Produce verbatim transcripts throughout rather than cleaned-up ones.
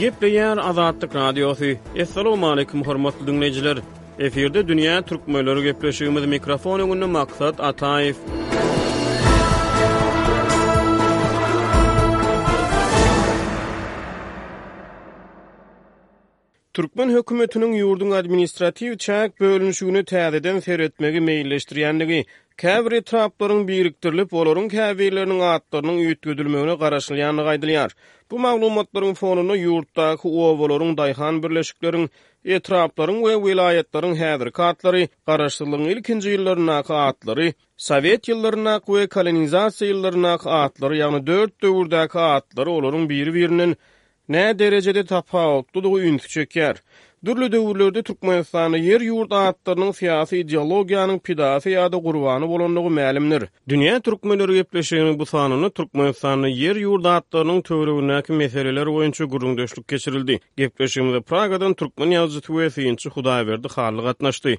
Gepleýär Azatlyk Radiosy. Assalamualaikum hormatly dinleýjiler. Efirde Dünýä Türkmenleri gepleşigimiz mikrofon öňünde Maksat Ataýew. Türkmen hökümetiniň ýurduň administratiw çäk bölünişigini täzeden seretmegi meýilleşdirýändigi, käbir etraplaryň birikdirilip, olaryň käbirleriniň atlarynyň üýtgedilmegine garaşylýandygy aýdylýar. Bu maglumatlaryň fonunda ýurtdaky obalaryň, daýhan birleşikleriň, etraplaryň we welaýatlaryň häzirki atlary, garaşsyzlygyň ilkinji ýyllaryndaky atlary, Sowet ýyllaryndaky we kolonizasiýa ýyllaryndaky atlary, ýagny dört döwürdäki atlary olaryň biri-birinden nä derejede tapawutlydygy ünsi çekýär. Dürli döwürlerde Türkmenistanda ýer-ýurt atlarynyň syýasy ideologiýanyň pidasy ýa-da gurbany bolandygy mälimdir. Dünýä Türkmenleri gepleşiginiň bu sanynda Türkmenistanda ýer-ýurt atlarynyň töweregindäki meseleler boýunça gürrüňdeşlik geçirildi. Gepleşigimize Pragadan türkmen ýazyjysy we synçy Hudaýberdi Hally gatnaşdy.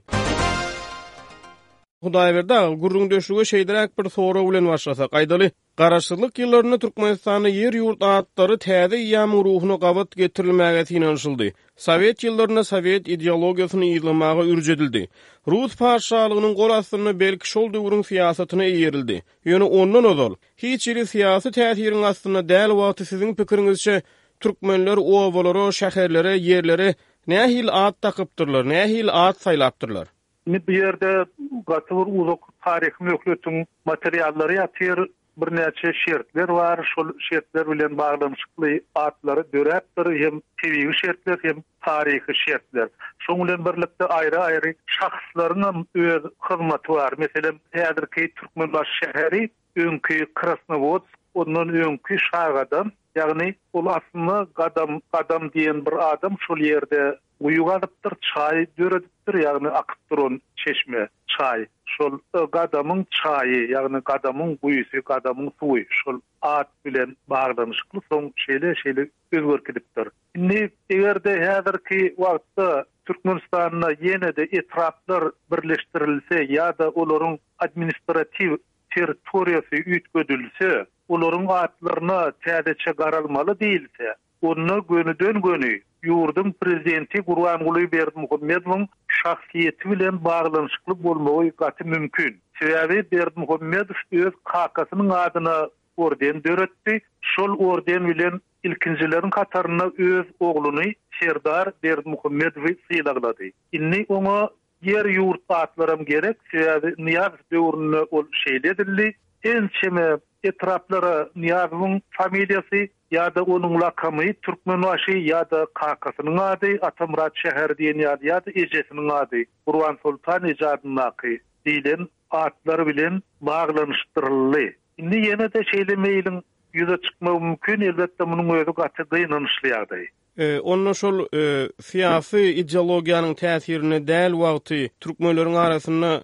Hudaýberdi aga, gürrüňdeşlige şeýleräk bir sorag bilen başlasak, aýdaly, Garaşsyzlyk ýyllarynda Türkmenistanda ýer-ýurt atlary täze eýýamyň ruhuna gabat getirilmäge synanyşyldy. Sowet ýyllarynda sowet ideologiýasyny yzlamaga ürç edildi. Rus patyşalygynyň gol astynda belki şol döwrüň syýasatyna eýerildi. Ýöne ondan ozal hiç hili syýasy täsiriň astynda däl wagty siziň pikiriňizçe türkmenler obalara, şäherlere, ýerlere nähili at dakypdyrlar, nähili at saýlapdyrlar? Indi bu ýerde gaty bir uzak taryhy möhletiň materiallary ýatyr, birnäçe şertler bar, şol şertler bilen baglanyşykly atlary döräpdir, hem tebigy şertler, hem taryhy şertler. Şoň bilen birlikde aýry-aýry şahslaryň hem öz hyzmaty bar. Meselem, häzirki Türkmenbaşy şäheri öňki Krasnowodsk, ondan öňki Şagadam, ýagny ol aslynda Gadam, Gadam diýen bir adam şol ýerde guýy gazypdyr, çaý döredipdir, ýagny akyp duran çeşme, çaý. Şol Gadamyň çaýy, ýagny Gadamyň guýusy, Gadamyň suwy şol at bilen baglanyşykly soň şeýle-şeýle özgerip gidipdir. Indi eger-de häzirki wagtda Türkmenistanda ýene-de etraplar birleşdirilse ýa-da olaryň administratiw territoriýasy üýtgedilse, olaryň atlaryna täzeçe garalmaly diýilse, onda gönüden-göni ýurduň prezidenti Gurbanguly Berdimuhamedowyň şahsyýeti bilen baglanyşykly bolmagy gaty mümkin. Sebäbi Berdimuhamedow öz kakasynyň adyna orden döretdi. Şol orden bilen ilkinjileriň hatarynda öz ogluny Serdar Berdimuhamedowy sylaglady. Indi oňa ýer ýurt atlaram gerek, sebäbi Nyýazow döwründe ol şeýle edildi. Ençeme etraplara Nyýazowyň familiýasy ýa-da onuň lakamy Türkmenbaşy ýa-da kakasynyň ady Atamyrat şäheri diýen ýaly ýa-da ejesiniň ady Gurban Soltan eje adyndaky diýlen atlar bilen baglanyşdyryldy. Indi ýene-de şeýle meýliň ýüze çykmagy mümkin, elbetde munuň özi gaty gynanyşly ýagdaý. E, onda şol e, syýasy ideologiýanyň täsirine däl wagty türkmenleriň arasynda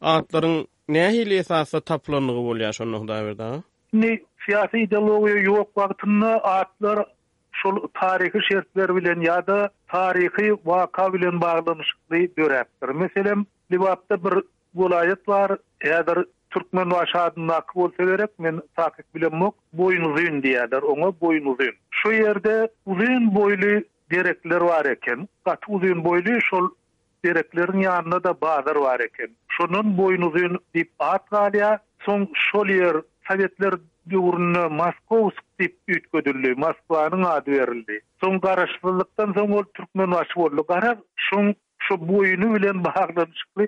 atlaryň nähili esasda tapylandygy bolýar şonda Hudaýberdi aga? Indi syýasy ideologiýa ýok wagtynda atlar şol taryhy şertler bilen ýa-da taryhy waka bilen baglanyşykly döräpdir. Meselem, Lebapda bir welaýat bar, häzir Türkmenbaşy adyndaky bolsa gerek, men takyk bilemok, Boýnuzyn diýerler oňa, Boýnuzyn. Şu ýerde uzyn boýly derekler bar eken. Gaty uzyn boýly şol derekleriň ýanynda da bazar bar eken. Şondan Boýnuzyn diýip at galýar. Soň şol ýer Sowetler döwründe Moskovsk diýip üýtgedildi, Moskwanyň ady berildi. Soň garaşsyzlykdan soň ol Türkmenbaşy boldy. Garaz, şoň şu boýny bilen baglanyşykly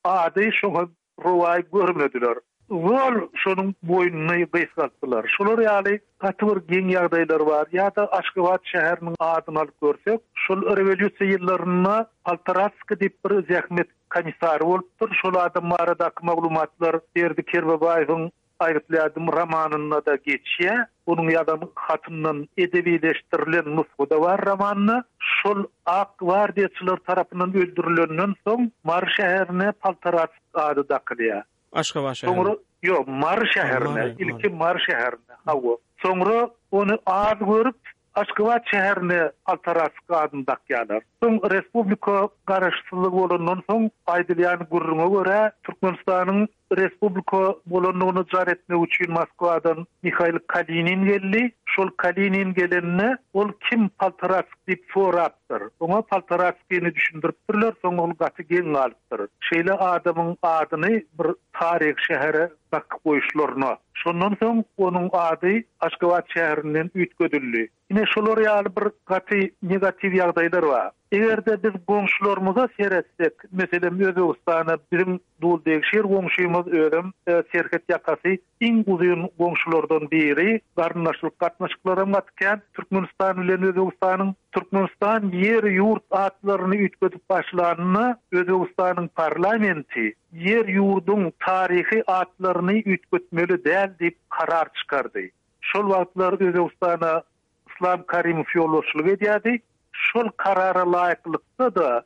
ady şoňa rowaý görmediler. Zol şonuň boýnuny gysgaltdylar. Şolar ýaly gaty bir geň ýagdaýlar bar. Ýa-da Aşgabat şäheriniň adyny alyp görsek, şol rewolýusiýa ýyllarynda Poltoratskiý diýip bir zähmet komissary bolupdyr. Şol adam baradaky maglumatlar Berdi Kerbabaýewiň Aýgytly romanynda da geçýär. Onuň ýazan hatyndan edebileşdirilen nusgada bar romanda. Şol Ak gwardiýaçylar tarapyndan öldürilenden soň Mary şäherine Poltoratsk ady dakylýar. Aşgabat şäheri. Soňra ýok, Mary şäherine, ilki Mary şäherine, hawa. Soňra ony az görüp Aşgabat şäherine Poltarask adyny dakýarlar. Soň respublika garaşsyzlygy bolandan soň aýdylýan gürrüňe görä Türkmenistanyň respublika bolandygyny jar etmek üçin Moskwadan Mihail Kalinin geldi. Şol Kalinin gelenine ol kim Poltarask diýip sorapdyr. Oňa Poltaraskini düşündiripdirler, soň ol gaty geň galypdyr. Şeýle adamyň adyny bir taryh şähere dakyp goýuşlaryna. Şondan soň onuň ady Aşgabat şäherinden üýtgedildi. Ine şolar ýaly bir gaty negatiw ýagdaýlar bar. Eger-de biz goňşularymyza seretsek, meselem Özbegistana biziň duldegşir goňşumyz özüm e, serhet ýakasy iň uzyn goňşulardan biri, garyndaşlyk gatnaşyklaram gaty Türkmenistan bilen Özbegistanyň Türkmenistan ýer ýurt atlaryny üýtgedip başlanyna Özbegistanyň parlamenti ýer ýurduň taryhy atlaryny üýtgetmeli däl diýip karar çykardy. Şol wagtlar Özbegistana Islam Karimow ýolbaşçylyk edýärdi. Şol karara laýyklykda da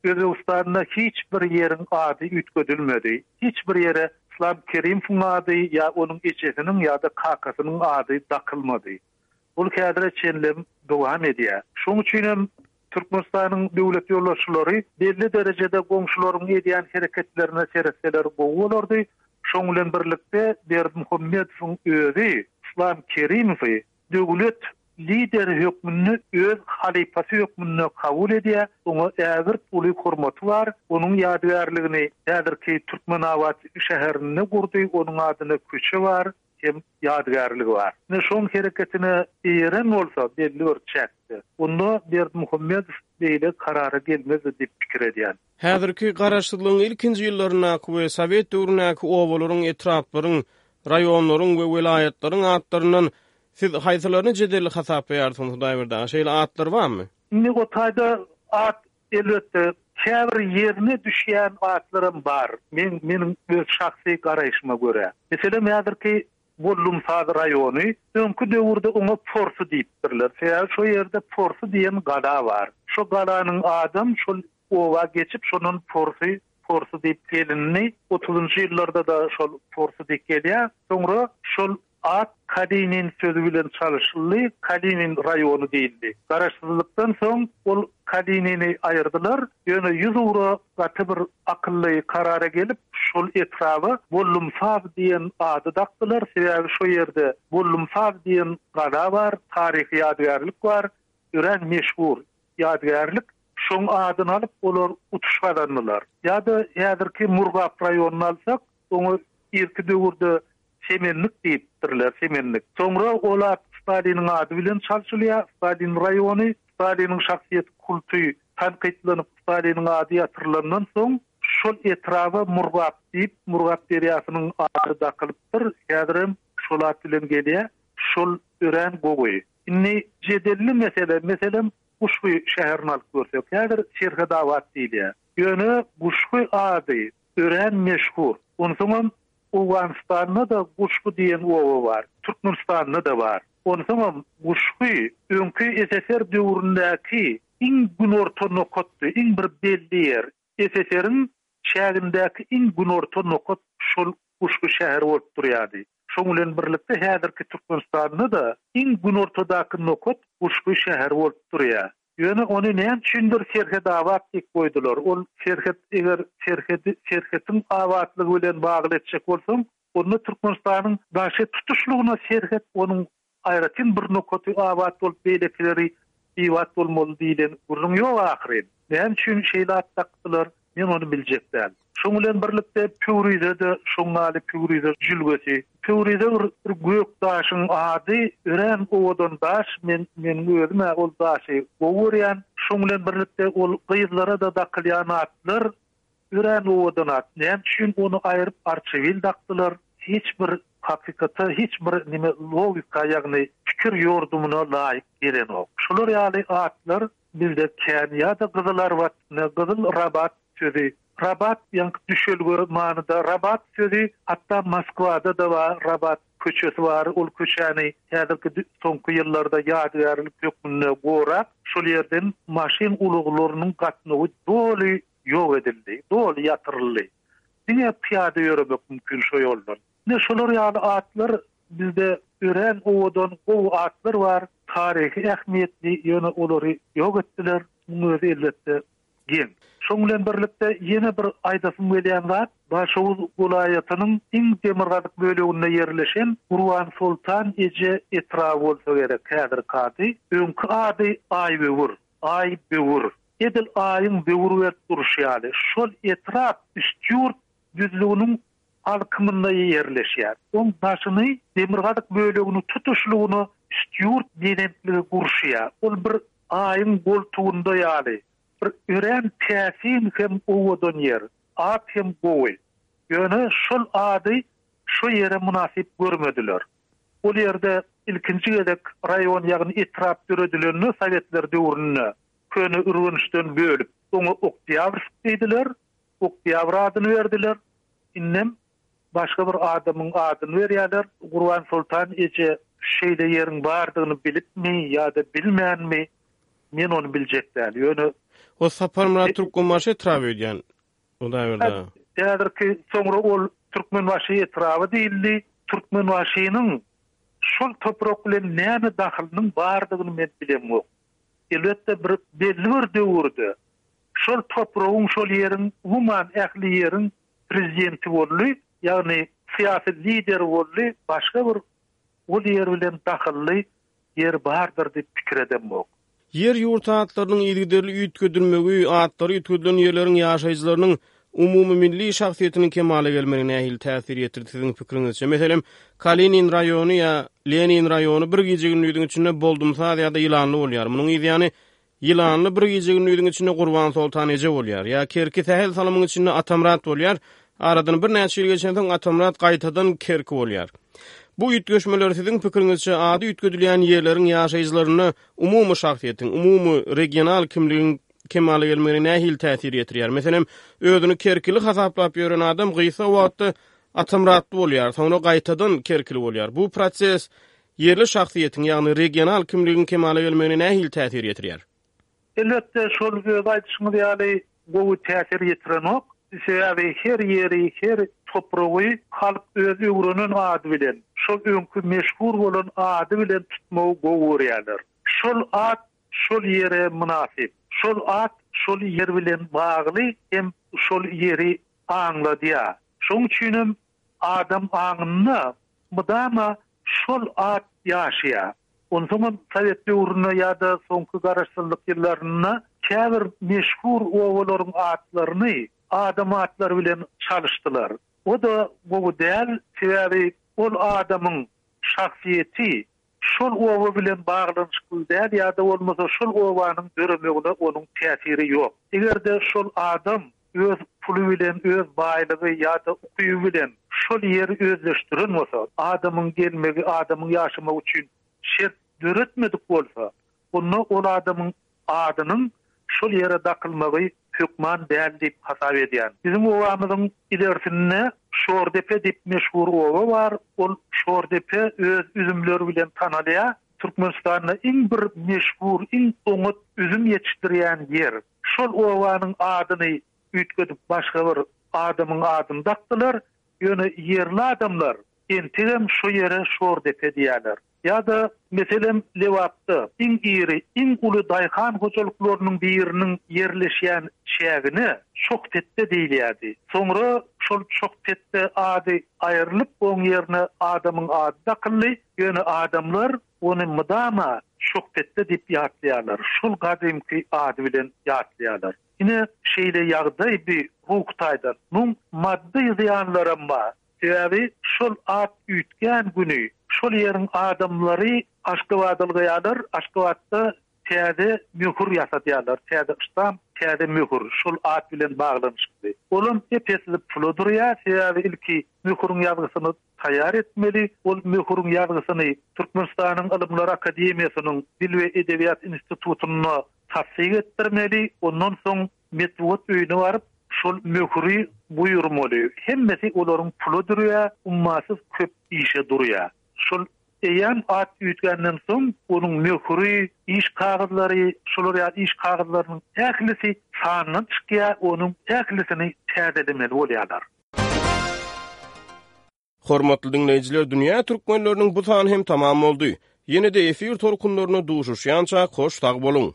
Özbegistanda hiç bir ýeriň ady üýtgedilmedi. Hiç bir ýere Islam Kerimowyň ady ýa onuň ejesiniň ýa-da kakasynyň ady dakylmady. Ol häzire çenlem dowam edýär. Şonuň üçin hem Türkmenistanyň döwlet ýolbaşçylary belli derejede goňşularyň edýän hereketlerine seretseler gowy bolardy. Şoň bilen birlikde Berdimuhamedowyň özi Islam Kerimowy döwlet lideri hökmünde öz halypasy hökmünde kabul edýär. Oňa ägirt uly hormaty bar. Onuň ýadygärligini häzirki Türkmenabat şäherinde gurdy. Onuň adyna köçe bar, hem ýadygärligi bar. Ne şoň hereketine eýeren bolsa belli bir çäkde. Onda Berdimuhamedow beýle karara gelmezdi diýip pikir edýän. Häzirki garaşsyzlygyň ilkinji ýyllaryndaky we Sowet döwründäki obalaryň, etraplaryň, raýonlaryň we welaýatlaryň atlaryndan siz haýsylaryny jedelli hasaplaýarsyňyz Hudaýberdi aga? Şeýle atlar barmy? Indi o taýda at elbetde käbir ýerine düşýän atlaram bar. Men meniň öz şahsy garaýşyma görä. Meselem häzirki Bollumsaz raýony öňki döwürde oňa Porsy diýipdirler. Sebäbi şo ýerde Porsy diýen gala bar. Şo galanyň adam şol oba geçip şonun Porsy Porsy diýip gelindi. otuzunjy ýyllarda da şol Porsy diýip gelýär. Soňra şol at Kalinin sözü bilen çalyşyldy, Kalinin raýony diýildi. Garaşsyzlykdan soň ol Kalinini aýyrdylar. Ýöne ýüz ugra gaty bir akylly karara gelip, şol etraba Bollumsaz diýen ady dakdylar. Sebäbi şo ýerde Bollumsaz diýen gala bar, taryhy ýadygärlik bar, örän meşhur ýadygärlik. Şoň adyny alyp olar utuş gazandylar. Ýa-da häzirki Murgap raýonyny alsak, oňa irki döwürde Semenlik diýipdirler, Semenlik. Soňra ol at Staliniň ady bilen çalşylýar. Stalin raýony, Staliniň şahsyýet kulty tankytlanyp Staliniň ady ýatyrylandan soň şol etraba Murgap diýip, Murgap derýasynyň ady dakylypdyr. Häzirem şol at bilen gelýär. Şol örän gowy. Indi jedelli mesele, meselem Guşgy şäherini alyp görsek, häzir Serhedabat diýilýär. Ýöne Guşgy ady örän meşhur. Onsoňam Owganystanda da Guşgy diýen oba bar, Türkmenistanda da bar. Onsoňam Guşgy öňki S S R döwründäki iň günorta nokatdy, iň bir belli ýer. S S R-iň çägindäki iň günorta nokat şol Guşgy şäheri bolup durýardy. Şoň bilen birlikde häzirki Türkmenistanda da iň günortadaky nokat Guşgy şäheri bolup durýar. Ýöne ony näme üçindir Serhedabat diýip goýdular. Ol serhet eger serhedi serhetiň abatlygy bilen bagly etjek bolsaň, onda Türkmenistanyň daşy tutuşlygyna serhet onuň aýratyn bir nokaty abat bolup beýlekileri bibat bolmaly diýlen gürrüň ýok ahyryn. Näme üçin şeýle at dakdylar? Men ony biljek däl. Şoň bilen birlikde Pöwrize-de şoňňaly Pöwrize jülgesi. Pöwrize bir, bir gök daşyň ady, örän owadan daş. Men meniň özüm ol daşy gowy görýän. Şoň bilen birlikde ol gyzlara da dakylýan atlar örän owadan at. Näme üçin ony aýryp Arçabil dakdylar? Hiç bir hakykata, hiç bir nime logika, ýagny pikir ýordumyna laýyk gelenok. Şolar ýaly atlar bizde kän ýa-da Gyzylarbat, ne Gyzyl Rabat sözü. Rabat ýaňky düşelge manyda Rabat sözü, hatda Moskwada da bar, Rabat köçesi bar. Ol köçäni häzirki soňky ýyllarda ýadygärlik hökmünde gorap, şol ýerden maşyn ulaglarynyň gatnawy doly ýok edildi, doly ýatyryldy. Diňe pyýada ýöremek mümkin şo ýoldan. Ne şolar ýaly atlar bizde Örän owadan gowy atlar bar, taryhy ähmiýetli, ýöne olary ýok etdiler. Munuň özi elbetde geň. Şoň bilen birlikde ýene bir aýdasym gelýän zat, Daşoguz welaýatynyň iň demirgazyk böleginde ýerleşen Gurbansoltan eje etraby bolsa gerek häzirki ady. Öňki ady Aýböwür, Aýböwür. Edil aýyň böwür berip durşy ýaly, şol etrap Üstýurt düzlüginiň alkymynda ýerleşýär. Oň daşyny, demirgazyk bölegini tutuşlygyna Üstýurt belentligi gurşaýar. Ol bir aýyň goltugynda ýaly, bir örän täsin hem owadan ýer. At hem gowy. Ýöne şol ady şo ýere mynasyp görmediler. Ol ýerde ilkinji gezek raýon, ýagny etrap döredilende sowetler döwründe Köne Ürgençden bölüp, oňa Oktýabrsk diýdiler, Oktýabr adyny berdiler. Indem başga bir adamyň adyny berýärler. Gurbansoltan eje şeýle ýeriň bardygyny bilipmi ýa-da bilmänmi, men ony biljek däl. Ýöne O Saparmyrat Türkmenbaşy etraby öýdýän. Hudaýberdi aga. Häzirki soňra ol Türkmenbaşy etraby diýildi. Türkmenbaşynyň şol toprak bilen näme dahylynyň bardygyny men bilemok. Elbetde bir belli bir döwürde şol topragyň, şol ýeriň, umuman ähli ýeriň prezidenti boldy, ýagny syýasy lideri boldy, başga bir ol ýer bilen dahylly ýer bardyr diýip pikir edemok. Ýer-ýurt atlarynyň yzygiderli üýtgedilmegi, atlary üýtgedilen ýerleriň ýaşaýjylarynyň umumymilli şahsyýetiniň kemala gelmegine nähili täsir ýetirdi siziň pikiriňizçe? Meselem, Kalinin raýony ýa Lenin raýony bir gije-gündiziň içinde Boldumsaz ýa-da Ýylanly bolýar. Munuň yzýany Ýylanly bir gije-gündiziň içinde Gurbansoltan eje bolýar. Ýa Kerki sähel salymyň içinde Atamyrat bolýar. Aradan birnäçe ýyl geçensoň Atamyrat gaýtadan Kerki bolýar. Bu üýtgeşmeler siziň pikiriňizçe ady üýtgedilýän ýerleriň ýaşaýjylarynda umumy şahsyýetiň, umumy regional kimligiň kemala gelmegine nähili täsir ýetirýär? Meselem, özüni kerkili hasaplap ýören adam gysga wagtda Atamyratly bolýar, soňra gaýtadan kerkili bolýar. Bu proses ýerli şahsyýetiň, ýagny regional kimligiň kemala gelmegine nähili täsir ýetirýär? Elbetde, şol öz aýdyşyňyz ýaly gowy täsir ýetirenok. Sebäbi her ýeri, her topragy halk öz öwrenen ady bilen, şol öňki meşhur bolan ady bilen tutmagy gowy görýärler. Şol at şol ýere mynasyp. Şol at şol ýer bilen bagly hem şol ýeri aňladýar. Şoň üçinem adam aňynda mydama şol at ýaşaýar. Onsoňam sowet döwründe ýa-da soňky garaşsyzlyk ýyllarynda käbir meşhur obalaryň atlaryny adam atlary bilen çalyşdylar. O-da gowy däl, sebäbi ol adamyň şahsyýeti şol oba bilen baglanyşykly däl ýa-da bolmasa şol obanyň döremegine onuň täsiri ýok. Eger-de şol adam öz puly bilen, öz baýlygy ýa-da ukyby bilen şol ýeri özleşdiren bolsa, adamyň gelmegi, adamyň ýaşamagy üçin şert döretmedik bolsa, onda ol adamyň adynyň şol ýere dakylmagy hökman däl diýip hasap edýän. Biziň obamyzyň ilersinde Şordepe diýip meşhur oba bar. Ol Şordepe öz üzümleri bilen tanalýar. Türkmenistanda iň bir meşhur, iň oňat üzüm ýetişdirýän ýer. Şol obanyň adyny üýtgedip başga bir adamyň adyny dakdylar. Ýöne ýerli adamlar entegem şo ýere Şordepe diýýärler. Ýa-da, meselem, Lebapda iň iri, iň uly daýhan hojalyklarynyň biriniň ýerleşýän çägine Çohpetde diýilýärdi. Soňra şol Çohpetde ady aýrylyp, oň ýerine adamyň ady dakyldy. Ýöne adamlar ony mydama Çohpetde diýip ýatlaýarlar. Şol gadymky ady bilen ýatlaýarlar. Ine, şeýle ýagdaý bi ruhy taýdan. Muň maddy zyýanlaram bar. Sebäbi şol at üýtgän güni şol ýeriň adamlary Aşgabada ylgaýarlar, Aşgabatda täze möhür ýasadýarlar, täze ştamp, täze möhür, şol at bilen baglanyşykly. Olam ep-esli pula durýar, sebäbi ilki möhüriň ýazgysyny taýýar etmeli, ol möhüriň ýazgysyny Türkmenistanyň Ylymlar akademiýasynyň Dil we edebiýat institutynda tassyk etdirmeli, ondan soň Metbugat öýüne baryp, şol möhüri buýurmaly. Hemmesi olaryň pula durýar, ummasyz köp işe durýar. Şol eýýäm at üýtgänden soň, onuň möhüri, iş kagyzlary, şolar ýaly iş kagyzlarynyň ählisi sandan çykýar, onuň ählisini täzelemeli bolýarlar. Hormatly diňleýjiler, dünýä türkmenleriniň bu sany hem tamam boldy. Ýene-de efir tolkunlarynda duşuşýança hoş sag boluň.